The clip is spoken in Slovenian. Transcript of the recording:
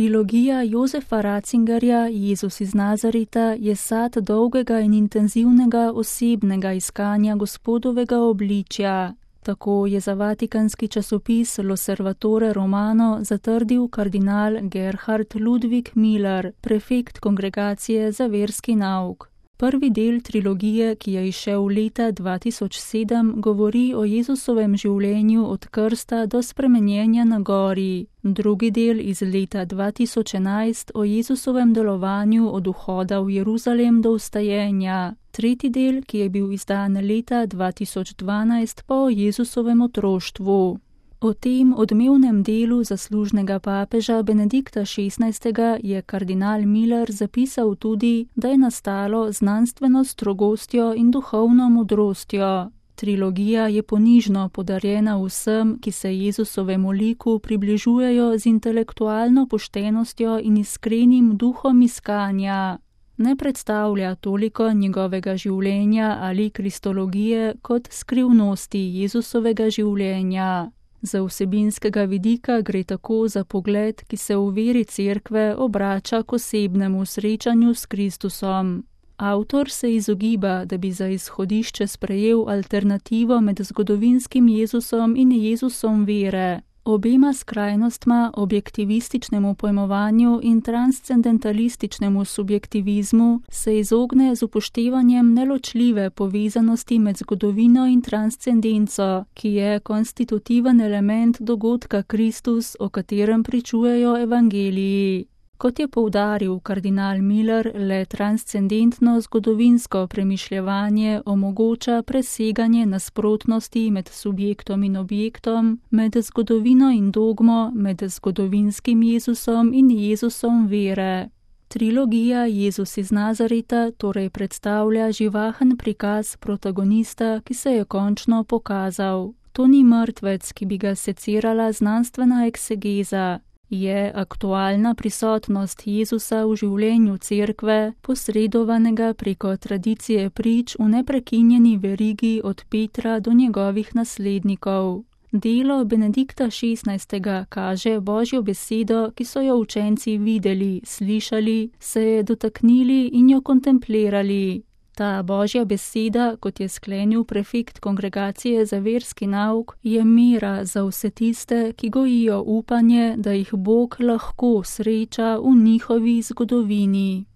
Trilogija Josefa Ratzingerja Jezus iz Nazareta je sad dolgega in intenzivnega osebnega iskanja Gospodovega obličja. Tako je za vatikanski časopis L'Osservatore Romano zatrdil kardinal Gerhard Ludwig Müller, prefekt Kongregacije za verski nauk. Prvi del trilogije, ki je izšel leta 2007, govori o Jezusovem življenju od krsta do spremenjenja na gori. Drugi del iz leta 2011 o Jezusovem delovanju od vhoda v Jeruzalem do vstajenja. Tretji del, ki je bil izdan leta 2012, pa o Jezusovem otroštvu. O tem odmevnem delu zaslužnega papeža Benedikta XVI. Je kardinal Müller zapisal tudi, da je nastalo znanstveno strogostjo in duhovno modrostjo. Trilogija je ponižno podarjena vsem, ki se Jezusovemu liku približujejo z intelektualno poštenostjo in iskrenim duhom iskanja. Ne predstavlja toliko njegovega življenja ali kristologije kot skrivnosti Jezusovega življenja. Za vsebinskega vidika gre tako za pogled, ki se v veri cerkve obrača k osebnemu srečanju s Kristusom. Avtor se izogiba, da bi za izhodišče sprejel alternativo med zgodovinskim Jezusom in Jezusom vere. Obema skrajnostma, objektivističnemu pojmovanju in transcendentalističnemu subjektivizmu, se izogne z upoštevanjem neločljive povezanosti med zgodovino in transcendenco, ki je konstitutiven element dogodka Kristus, o katerem pričujejo evangeliji. Kot je poudaril kardinal Müller, le transcendentno zgodovinsko premišljevanje omogoča preseganje nasprotnosti med subjektom in objektom, med zgodovino in dogmo, med zgodovinskim Jezusom in Jezusom vere. Trilogija Jezus iz Nazareta torej predstavlja živahen prikaz protagonista, ki se je končno pokazal. To ni mrtvec, ki bi ga secirala znanstvena eksegeza. Je aktualna prisotnost Jezusa v življenju cerkve, posredovanega preko tradicije prič v neprekinjeni verigi od Petra do njegovih naslednikov. Delo Benedikta XVI. Kaže Božjo besedo, ki so jo učenci videli, slišali, se je dotaknili in jo kontemplirali. Ta Božja beseda, kot je sklenil prefekt Kongregacije za verski nauk, je mera za vse tiste, ki gojijo upanje, da jih Bog lahko sreča v njihovi zgodovini.